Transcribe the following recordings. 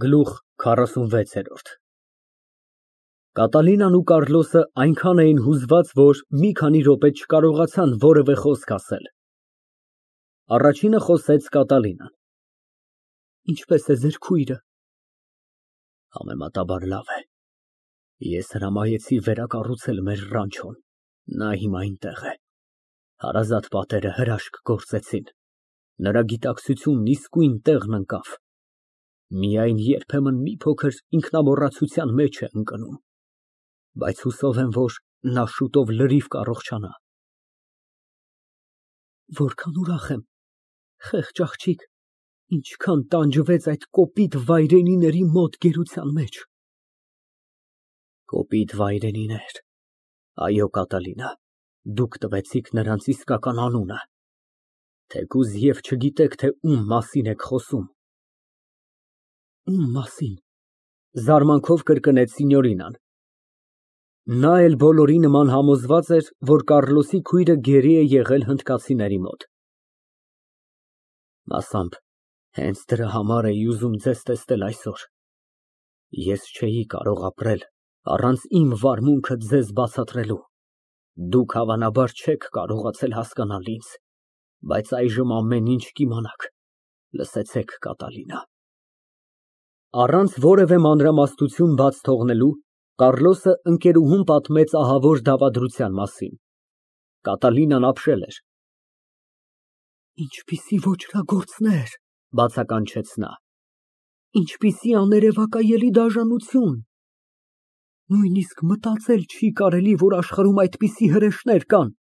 Գլուխ 46 Կատալինան ու Կառլոսը այնքան էին հուզված, որ մի քանի րոպե չկարողացան որևէ խոսք ասել։ Առաջինը խոսեց Կատալինան։ Ինչպե՞ս է ձեր քույրը։ Համեմատաբար լավ է։ Ես հրամայեցի վերակառուցել մեր ռանչոն, նա հիմա այնտեղ է։ Հարազատ պատերը հրաշք գործեցին, նրա գիտակցությունն իսկույն տեղն ընկավ։ Միայն երբեմն մի փոքր ինքնամոռացության մեջ է ընկնում, բայց հուսով եմ, որ նա շուտով լրիվ կառողջանա։ Որքան ուրախ եմ, խեղճ աղջիկ, ինչքան տանջվեց այդ կոպիտ վայրենիների մոտ գերության մեջ։ Կոպիտ վայրենիներ, այո, Կատալինա, դուք տվեցիք նրանց իսկական անունը, թեկուզ և չգիտեք, թե ում մասին եք խոսում։ Ում մասին, զարմանքով կրկնեց Սինյորինան։ Նա էլ բոլորի նման համոզված էր, որ Կառլոսի քույրը գերի է եղել հնդկացիների մոտ։ Մասամբ հենց դրա համար էի ուզում ձեզ տեսնել այսօր։ Ես չէի կարող ապրել առանց իմ վարմունքը ձեզ բացատրելու։ Դուք հավանաբար չեք կարողացել հասկանալ ինձ, բայց այժմ ամեն ինչ կիմանաք։ Լսեցեք, Կատալինա։ Առանց որևէ մանրամասնություն բաց թողնելու, Կառլոսը ընկերուհուն պատմեց ահավոր դավադրության մասին։ Կատալինան ապշել էր։ Ինչպիսի ոճրագործներ, բացականչեց նա։ Ինչպիսի աներևակայելի դաժանություն։ Նույնիսկ մտածել չի կարելի, որ աշխարհում այդպիսի հրեշներ կան։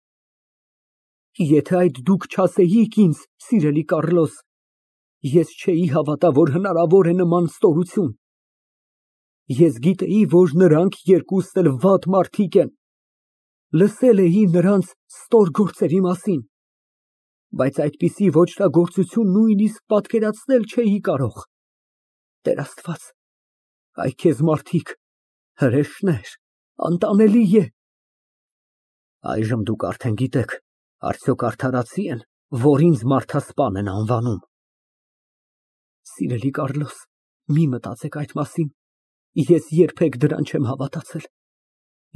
Եթե այդ դուք չասեիք ինձ, սիրելի Կառլոս, ես չէի հավատա, որ հնարավոր է նման ստորություն։ Ես գիտեի, որ նրանք երկուսն էլ վատ մարդիկ են, լսել էի նրանց ստոր գործերի մասին, բայց այդպիսի ոճրագործություն նույնիսկ պատկերացնել չէի կարող։ Տեր Աստված, այ քեզ մարդիկ, հրեշներ, անտանելի է։ Այժմ դուք արդեն գիտեք, արդյոք արդարացի են, որ ինձ մարդասպան են անվանում։ Սիրելի Կառլոս, մի մտածեք այդ մասին, ես երբեք դրան չեմ հավատացել։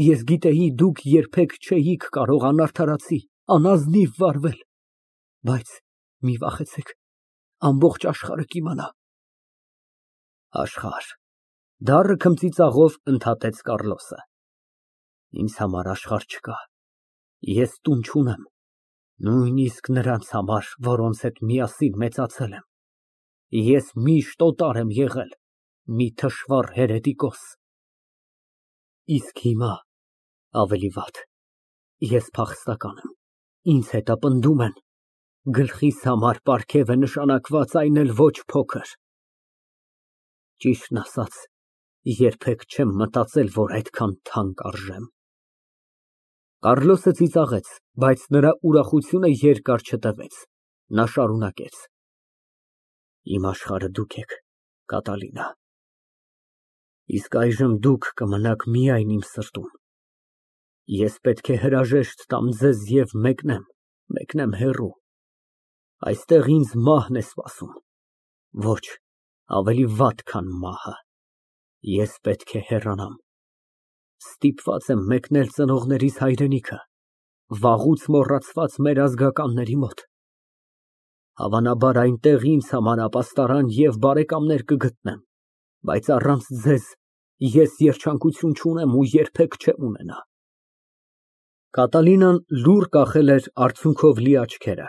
Ես գիտեի, դուք երբեք չէիք կարող անարդարացի, անազնիվ վարվել, բայց մի վախեցեք, ամբողջ աշխարհը կիմանա։ Աշխարհ, դառը քմծիծաղով ընդհատեց Կառլոսը։ Ինձ համար աշխարհ չկա, ես տուն չունեմ, նույնիսկ նրանց համար, որոնց հետ միասին մեծացել եմ։ Ես միշտ օտար եմ եղել, մի թշվառ հերետիկոս։ Իսկ հիմա ավելի վատ, ես փախստական եմ, ինձ հետապնդում են, գլխիս համար պարգև է նշանակված, այն էլ ոչ փոքր։ Ճիշտն ասած, երբեք չեմ մտածել, որ այդքան թանկ արժեմ։ Կառլոսը ծիծաղեց, բայց նրա ուրախությունը երկար չտևեց, նա շարունակեց. Իմ աշխարհը դուք եք, Կատալինա, իսկ այժմ դուք կմնաք միայն իմ սրտում։ Ես պետք է հրաժեշտ տամ ձեզ և մեկնեմ հեռու։ Այստեղ ինձ մահն է սպասում, ոչ, ավելի վատ, քան մահը։ Ես պետք է հեռանամ։ Ստիպված եմ մեկնել ծնողներիս հայրենիքը, վաղուց մոռացված մեր ազգականների մոտ։ Հավանաբար այնտեղ ինձ համար ապաստարան և բարեկամներ կգտնեմ, բայց առանց ձեզ ես երջանկություն չունեմ ու երբեք չեմ ունենա։ Կատալինան լուռ կախել էր արցունքով լի աչքերը։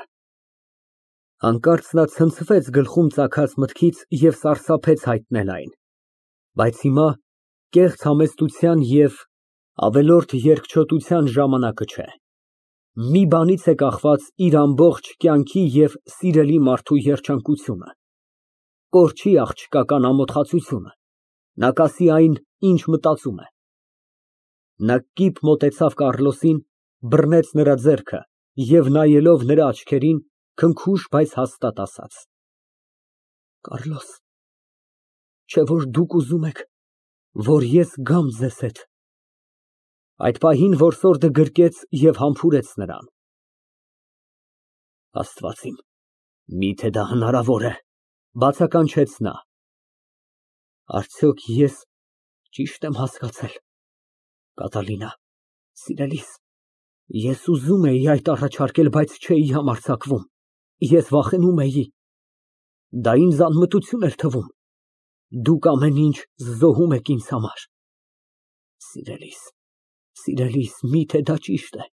Հանկարծ նա ցնցվեց գլխում ծագած մտքից և սարսափեց հայտնել այն, բայց հիմա կեղծ համեստության և ավելորդ երկչոտության ժամանակը չէ։ Մի բանից է կախված իր ամբողջ կյանքի և սիրելի մարդու երջանկությունը, կորչի աղջկական ամոթխածությունը, նա կասի այն, ինչ մտածում է։ Նա կիպ մոտեցավ Կառլոսին, բռնեց նրա ձեռքը և նայելով նրա աչքերին, քնքուշ, բայց հաստատ ասաց. Կառլոս, չէ՞ որ դուք ուզում եք, որ ես գամ ձեզ հետ։ Այդ պահին որսորդը գրկեց և համբուրեց նրան։ Աստված իմ, միթե դա հնարավոր է, բացականչեց նա։ Արդյոք ես ճիշտ եմ հասկացել։ Կատալինա, սիրելիս, ես ուզում էի այդ առաջարկել, բայց չէի համարձակվում, ես վախենում էի։ Դա ինձ անմտություն էր թվում։ Դուք ամեն ինչ զոհում եք ինձ համար։ Սիրելիս, միթե դա ճիշտ է,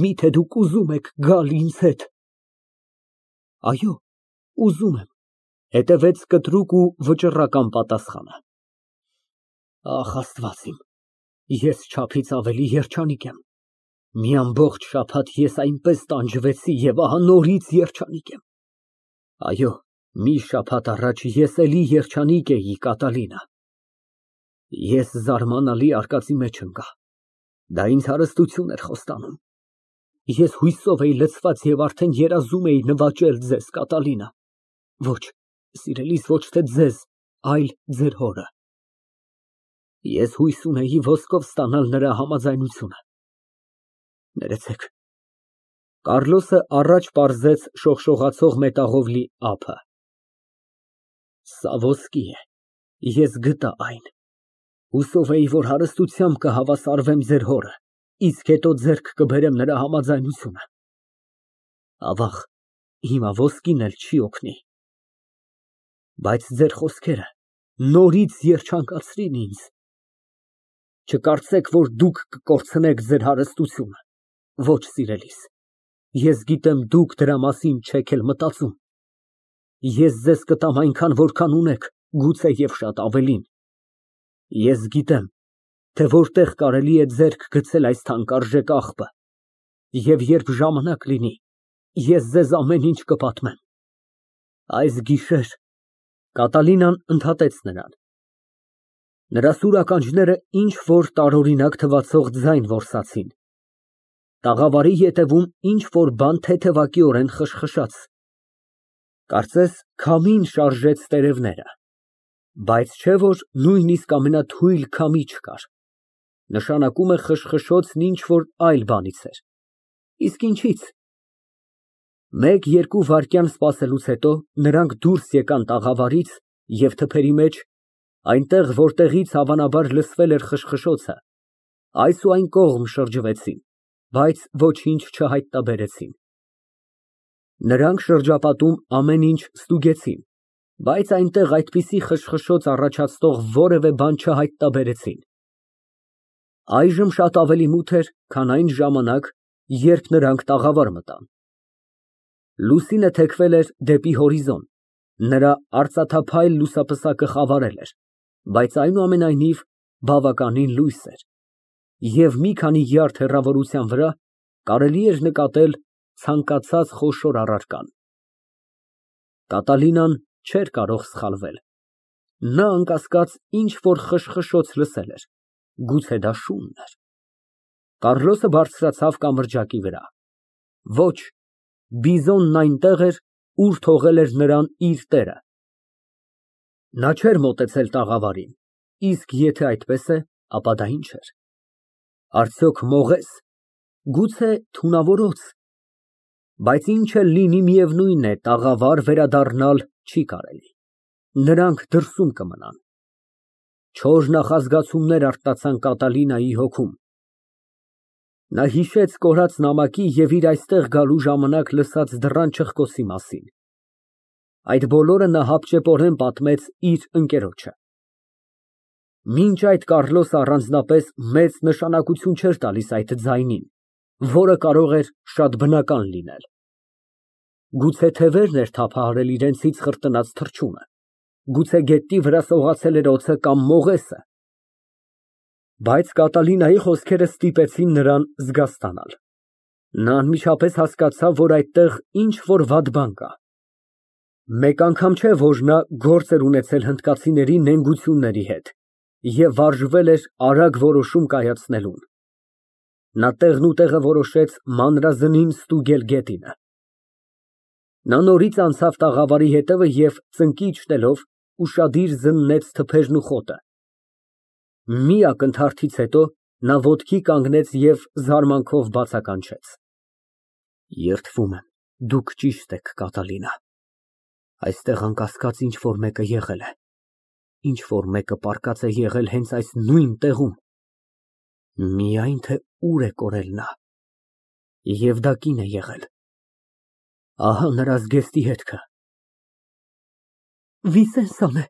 միթե դուք ուզում եք գալ ինձ հետ։ Այո, ուզում եմ, հետևեց կտրուկ ու վճռական պատասխանը։ Ախ, Աստված իմ, ես չափից ավելի երջանիկ եմ։ Մի ամբողջ շաբաթ ես այնպես տանջվեցի և ահա նորից երջանիկ եմ։ Այո, մի շաբաթ առաջ ես էլի երջանիկ էի, Կատալինա։ Ես զարմանալի արկածի մեջ ընկա։ Դա ինձ հարստություն էր խոստանում։ Ես հույսով էի լցված և արդեն երազում էի նվաճել ձեզ, Կատալինա։ Ոչ, սիրելիս, ոչ թե ձեզ, այլ ձեր հորը։ Ես հույս ունեի ոսկով ստանալ նրա համաձայնությունը։ Ներեցեք։ Կառլոսը առաջ պարզեց շողշողացող մետաղով լի ափը։ Սա ոսկի է, ես գտա այն։ Հուսով էի, որ հարստությամբ կհավասարվեմ ձեր հորը, իսկ հետո ձեռք կբերեմ նրա համաձայնությունը։ Ավաղ, հիմա ոսկին էլ չի օգնի։ Բայց ձեր խոսքերը նորից երջանկացրին ինձ։ Չկարծեք, որ դուք կկորցնեք ձեր հարստությունը։ Ոչ, սիրելիս, ես գիտեմ դուք դրա մասին չեք էլ մտածում։ Ես ձեզ կտամ այնքան, որքան ունեք, գուցե և շատ ավելին։ Ես գիտեմ, թե որտեղ կարելի է ձեռք գցել այս թանկարժեք աղբը, և երբ ժամանակ լինի, ես ձեզ ամեն ինչ կպատմեմ։ Այս գիշեր Կատալինան ընդհատեց նրան։ Նրա սուր ականջները ինչ-որ տարօրինակ թվացող ձայն որսացին։ Տաղավարի ետևում ինչ-որ բան թեթևակիորեն խշխշաց։ Կարծես քամին շարժեց տերևները, բայց չէ որ նույնիսկ ամենաթույլ քամի չկար։ Նշանակում է խշխշոցն ինչ֊որ այլ բանից էր։ Իսկ ինչից։ Մեկ-երկու վայրկյան սպասելուց հետո նրանք դուրս եկան տաղավարից և թփերի մեջ, այնտեղ, որտեղից հավանաբար լսվել էր խշխշոցը, այս ու այն կողմ շրջվեցին, բայց ոչինչ չհայտնաբերեցին։ Նրանք շրջապատում ամեն ինչ ստուգեցին, բայց այնտեղ այդպիսի խշխշոց առաջացնող որևէ բան չհայտնաբերեցին։ Այժմ շատ ավելի մութ էր, քան այն ժամանակ, երբ նրանք տաղավար մտան։ Լուսինը թեքվել էր դեպի հորիզոն, նրա արծաթափայլ լուսապսակը խավարել էր, բայց այնուամենայնիվ բավականին լույս էր, և մի քանի յարդ հեռավորության վրա կարելի էր նկատել ցանկացած խոշոր առարկան։ Կատալինան չէր կարող սխալվել։ Նա անկասկած ինչ֊որ խշխշոց լսել էր, գուցե դա շունն էր։ Կառլոսը բարձրացավ կամրջակի վրա։ Ոչ, բիզոնն այնտեղ էր, ուր թողել էր նրան իր տերը։ Նա չէր մոտեցել տաղավարին, իսկ եթե այդպես է, ապա դա ինչ էր։ Արդյոք մողես, գուցե թունավորոց։ Բայց ինչ էլ լինի, միևնույն է, տաղավար վերադառնալ չի կարելի։ Նրանք դրսում կմնան։ Չոր նախազգացումներ արթնացան Կատալինայի հոգում։ Նա հիշեց կորած նամակի և իր այստեղ գալու ժամանակ լսած դռան չխկոցի մասին։ Այդ բոլորը նա հապճեպորեն պատմեց իր ընկերոջը։ Մինչ այդ Կառլոսը առանձնապես մեծ նշանակություն չէր տալիս այդ ձայնին, որը կարող էր շատ բնական լինել։ Գուցե թևերն էր թափահարել իրենցից խրտնած թռչունը, գուցե գետնի վրա սողացել էր օձը կամ մողեսը։ Բայց Կատալինայի խոսքերը ստիպեցին նրան զգաստանալ։ Նա անմիջապես հասկացավ, որ այդտեղ ինչ֊որ վատ բան կա։ Մեկ անգամ չէ, որ նա գործ էր ունեցել հնդկացիների նենգությունների հետ և վարժվել էր արագ որոշում կայացնելուն։ Նա տեղնուտեղը որոշեց մանրազնին ստուգել գետինը։ Նա նորից անցավ տաղավարի ետևը և ծնկի իջնելով ուշադիր զննեց թփերն ու խոտը։ Մի ակնթարթից հետո նա ոտքի կանգնեց և զարմանքով բացականչեց. Երդվում եմ, դուք ճիշտ եք, Կատալինա, այստեղ անկասկած ինչ֊որ մեկը եղել է։ ինչ որ մեկը պառկած է եղել հենց այս նույն տեղում։ Միայն թե ուր է կորել նա։ Եվ դա կին է եղել։ Ահա նրա զգեստի հետքը։ Վիսենսան է,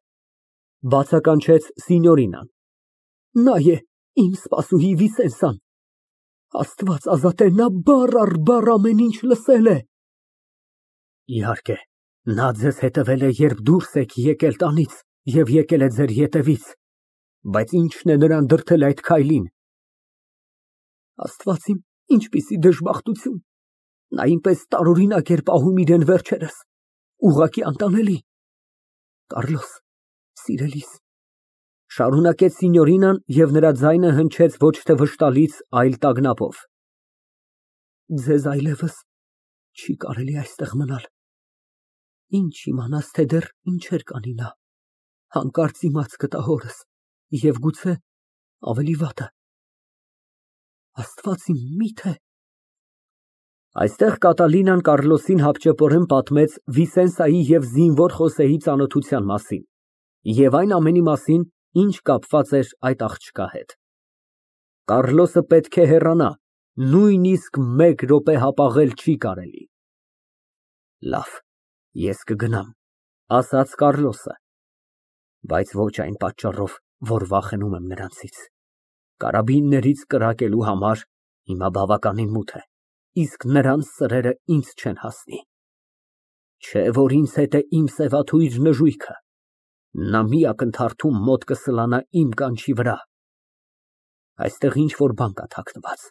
բացականչեց Սինյորինան։ Նա է, իմ սպասուհի Վիսենսան։ Աստված ազատե, նա բառ առ բառ ամեն ինչ լսել է։ Իհարկե, նա ձեզ հետևել է, երբ դուրս եք եկել տանից և եկել է ձեր ետևից, բայց ի՞նչն է նրան դրդել այդ քայլին։ Աստված իմ, ինչպիսի դժբախտություն։ Նա այնպես տարօրինակ էր պահում իրեն վերջերս, ուղղակի անտանելի։ Կառլոս, սիրելիս, շարունակեց Սինյորինան և նրա ձայնը հնչեց ոչ թե վշտալից, այլ տագնապով, ձեզ այլևս չի կարելի այստեղ մնալ։ Ինչ իմանաս, թե դեռ ինչեր կանի նա, հանկարծ իմաց կտա հորս և գուցե ավելի վատը։ Աստված իմ, մի՞թե։ Այստեղ Կատալինան Կառլոսին հապճեպորեն պատմեց Վիսենսայի և զինվոր Խոսեի ծանոթության մասին և այն ամենի մասին, ինչ կապված էր այդ աղջկա հետ։ Կառլոսը պետք է հեռանա, նույնիսկ մեկ րոպե հապաղել չի կարելի։ Լավ, ես կգնամ, ասաց Կառլոսը, բայց ոչ այն պատճառով, որ վախենում եմ նրանցից։ Կարաբիններից կրակելու համար հիմա բավականին մութ է, իսկ նրանց սրերը ինձ չեն հասնի։ Չէ որ ինձ հետ է իմ սևաթույր նժույգը, նա մի ակնթարթում մոտ կսլանա իմ կանչի վրա։ Այստեղ ինչ-որ բան կա թաքնված,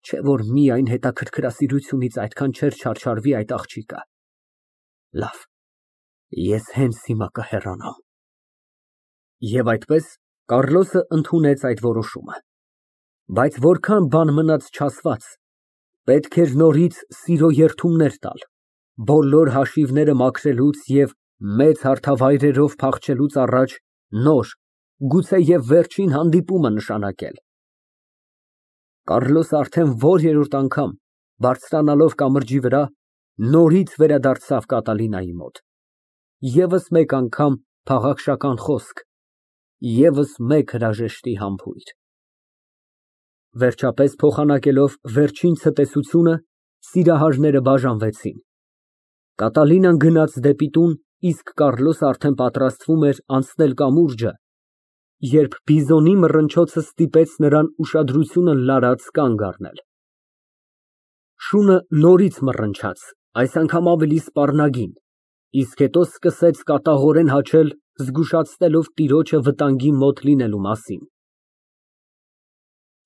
չէ որ միայն հետաքրքրասիրությունից այդքան չէր չարչարվի այդ աղջիկը։ Լավ, ես հենց հիմա կհեռանամ։ Եվ այդպես Կառլոսը ընդունեց այդ որոշումը։ Բայց որքան բան մնաց չասված, պետք էր նորից սիրո երդումներ տալ, բոլոր հաշիվները մաքրելուց և մեծ հարթավայրերով փախչելուց առաջ նոր, գուցեև վերջին հանդիպումը նշանակել։ Կառլոսը արդեն որերորդ անգամ, բարձրանալով կամրջի վրա, նորից վերադարձավ Կատալինայի մոտ։ Եվս մեկ անգամ փաղաքշական խոսք, եվս մեկ հրաժեշտի համբույր։ Վերջապես փոխանակելով վերջին ցտեսությունը, սիրահարները բաժանվեցին։ Կատալինան գնաց դեպի տուն, իսկ Կառլոսը արդեն պատրաստվում էր անցնել կամուրջը, երբ բիզոնի մռնչոցը ստիպեց նրան ուշադրությունը լարած կանգ առնել։ Շունը նորից մռնչաց, այս անգամ ավելի սպառնագին, իսկ հետո սկսեց կատաղորեն հաչել, զգուշացնելով տիրոջը վտանգի մոտ լինելու մասին։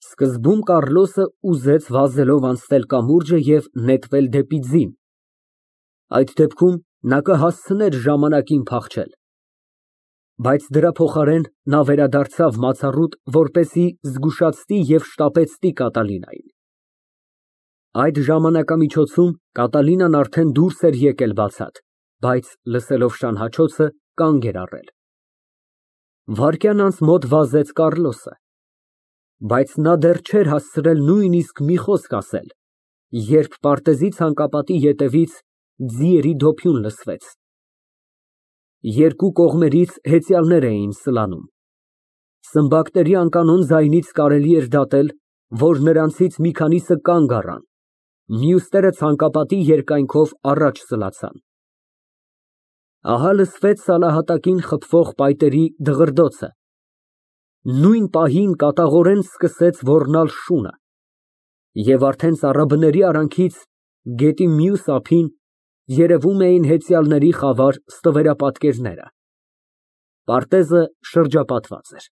Սկզբում Կառլոսը ուզեց վազելով անցնել կամուրջը և նետվել դեպի ձին, այդ դեպքում նա կհասցներ ժամանակին փախչել, բայց դրա փոխարեն նա վերադարձավ մացառուտ, որպեսզի զգուշացնի և շտապեցնի Կատալինային։ Այդ ժամանակամիջոցում Կատալինան արդեն դուրս էր եկել բացատ, բայց լսելով շան հաչոցը, կանգ էր առել։ Վայրկյան անց մոտ վազեց Կառլոսը, բայց նա դեռ չէր հասցրել նույնիսկ մի խոսք ասել, երբ պարտեզի ցանկապատի ետևից ձիերի դոփյուն լսվեց։ Երկու կողմերից հեծյալներ էին սլանում։ Սմբակների անկանոն ձայնից կարելի էր դատել, որ նրանցից մի քանիսը կանգ առան, մյուսները ցանկապատի երկայնքով առաջ սլացան։ Ահա լսվեց սալահատակին խփվող պայտերի դղրդոցը։ Նույն պահին կատաղորեն սկսեց ոռնալ շունը, և արդեն ծառաբների արանքից գետի մյուս ափին երևում էին հեծյալների խավար ստվերապատկերները։ Պարտեզը շրջապատված էր։